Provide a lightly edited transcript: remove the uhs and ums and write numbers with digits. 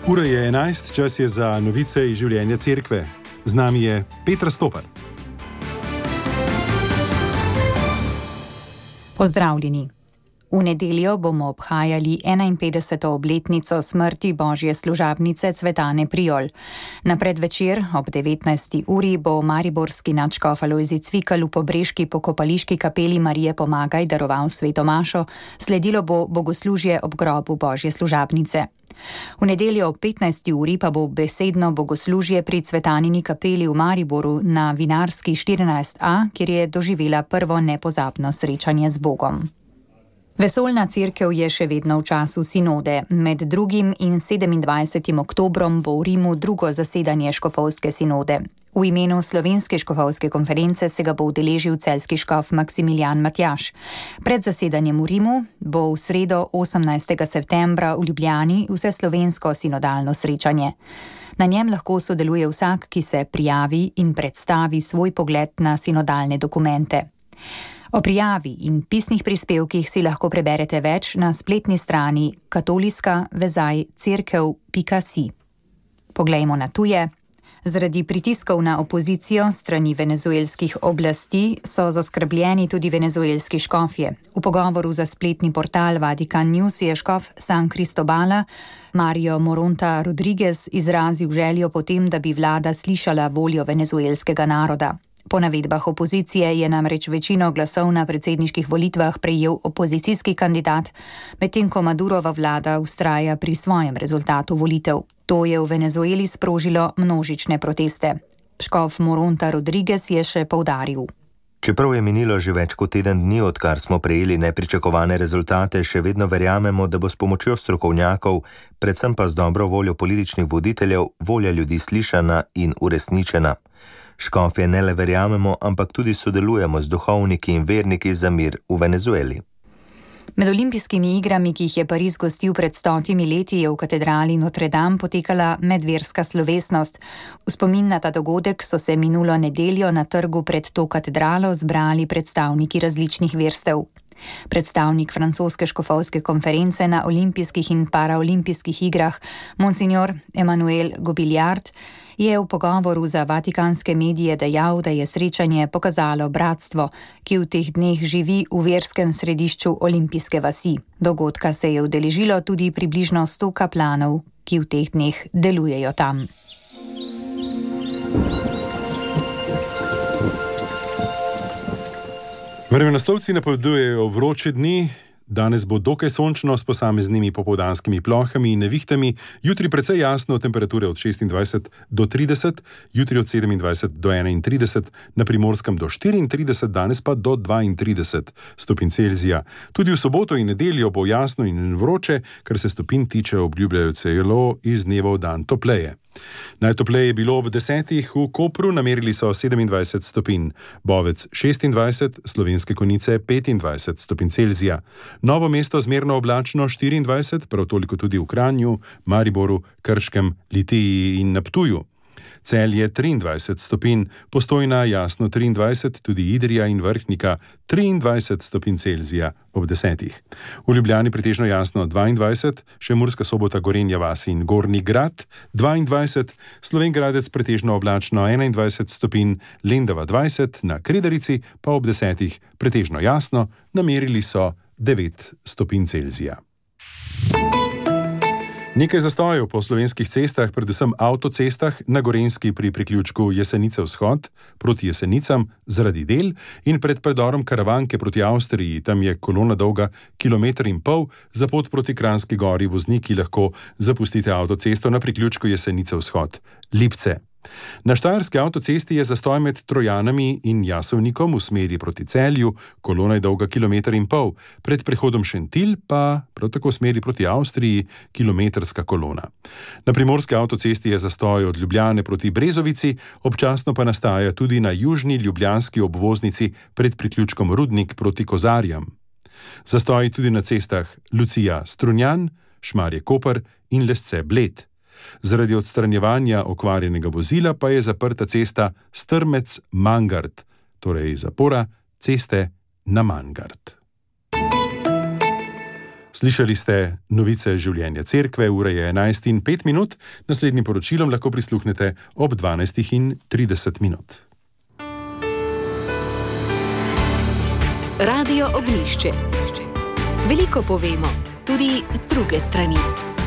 Ura je 11, čas je za novice iz življenja cerkve. Z nami je Petra Stopar. Pozdravljeni. V nedeljo bomo obhajali 51. obletnico smrti božje služabnice Cvetane Prijol. Na predvečer ob 19. uri bo mariborski nadškof Alojzij Cvikl v Pobreški pokopališki kapeli Marije Pomagaj daroval sveto mašo, sledilo bo bogoslužje ob grobu božje služabnice. V nedeljo ob 15. uri pa bo besedno bogoslužje pri Cvetanini kapeli v Mariboru na Vinarski 14a, kjer je doživela prvo nepozabno srečanje z Bogom. Vesoljna cerkev je še vedno v času sinode. Med 2. in 27. oktobrom bo v Rimu drugo zasedanje škofovske sinode. V imenu Slovenske škofovske konference se ga bo udeležil celjski škof Maksimilijan Matjaž. Pred zasedanjem v Rimu bo v sredo 18. septembra v Ljubljani vseslovensko sinodalno srečanje. Na njem lahko sodeluje vsak, ki se prijavi in predstavi svoj pogled na sinodalne dokumente. O prijavi in pisnih prispevkih si lahko preberete več na spletni strani katoliska-cerkev.si. Poglejmo na tuje. Zaradi pritiskov na opozicijo strani venezuelskih oblasti so zaskrbljeni tudi venezuelski škofje. V pogovoru za spletni portal Vatican News je škof San Cristobala Mario Moronta Rodriguez izrazil željo potem, da bi vlada slišala voljo venezuelskega naroda. Po navedbah opozicije je namreč večino glasov na predsedniških volitvah prejel opozicijski kandidat, medtem ko Madurova vlada vztraja pri svojem rezultatu volitev. To je v Venezueli sprožilo množične proteste. Škof Moronta Rodriguez je še poudaril. Čeprav je minilo že več kot teden dni, odkar smo prejeli nepričakovane rezultate, še vedno verjamemo, da bo s pomočjo strokovnjakov, predvsem pa z dobro voljo političnih voditeljev, volja ljudi slišana in uresničena. Škofje ne le verjamemo, ampak tudi sodelujemo z duhovniki in verniki za mir v Venezueli. Med olimpijskimi igrami, ki jih je Pariz gostil pred 100 leti, je v katedrali Notre Dame potekala medverska slovesnost. V spomin na ta dogodek so se minulo nedeljo na trgu pred to katedralo zbrali predstavniki različnih verstev. Predstavnik francoske škofovske konference na olimpijskih in paraolimpijskih igrah, monsignor Emmanuel Gobiliard, je v pogovoru za vatikanske medije dejal, da je srečanje pokazalo bratstvo, ki v teh dneh živi v verskem središču olimpijske vasi. Dogodka se je udeležilo tudi približno 100 kaplanov, ki v teh dneh delujejo tam. Vremenoslovci napovedujejo vroče dni. Danes bo dokaj sončno s posameznimi popoldanskimi plohami in nevihtami, jutri precej jasno, temperature od 26 do 30, jutri od 27 do 31, na Primorskem do 34, danes pa do 32 stopinj Celzija. Tudi v soboto in nedeljo bo jasno in vroče, kar se stopinj tiče, obljubljajo celo iz dneva v dan topleje. Najtopleje je bilo ob 10. v Kopru, namerili so 27 stopinj, Bovec 26, Slovenske Konjice 25 stopinj Celzija. Novo mesto zmerno oblačno 24, prav toliko tudi v Kranju, Mariboru, Krškem, Litiji in na Ptuju. Celje 23 stopinj, Postojna jasno 23, tudi Idrija in Vrhnika 23 stopinj Celzija ob 10. V Ljubljani pretežno jasno 22, še Murska Sobota, Gorenja vas in Gornji Grad 22, Slovenj Gradec pretežno oblačno 21 stopinj, Lendava 20, na Kredarici pa ob 10 pretežno jasno, namerili so 9 stopinj Celzija. Nekaj zastojev po slovenskih cestah, predvsem avtocestah, na Gorenjski pri priključku Jesenice vzhod proti Jesenicam zaradi del in pred predorom Karavanke proti Avstriji, tam je kolona dolga 1,5 km, za pot proti Kranjski Gori vozniki lahko zapustite avtocesto na priključku Jesenice vzhod Lipce. Na Štajerski avtocesti je zastoj med Trojanami in Jasovnikom v smeri proti Celju, kolona je dolga 1,5 km, pred prehodom Šentilj pa prav tako v smeri proti Avstriji kilometrska kolona. Na Primorski avtocesti je zastoj od Ljubljane proti Brezovici, občasno pa nastaja tudi na južni ljubljanski obvoznici pred priključkom Rudnik proti Kozarjam. Zastoj tudi na cestah Lucija Strunjan, Šmarje Koper in Lesce Bled. Zaradi odstranjevanja okvarjenega vozila pa je zaprta cesta Strmec-Mangart, torej zapora ceste na Mangart. Slišali ste novice življenja cerkve, ura je 11:05, naslednjim poročilom lahko prisluhnete ob 12:30. Radio Oglišče. Veliko povemo, tudi z druge strani.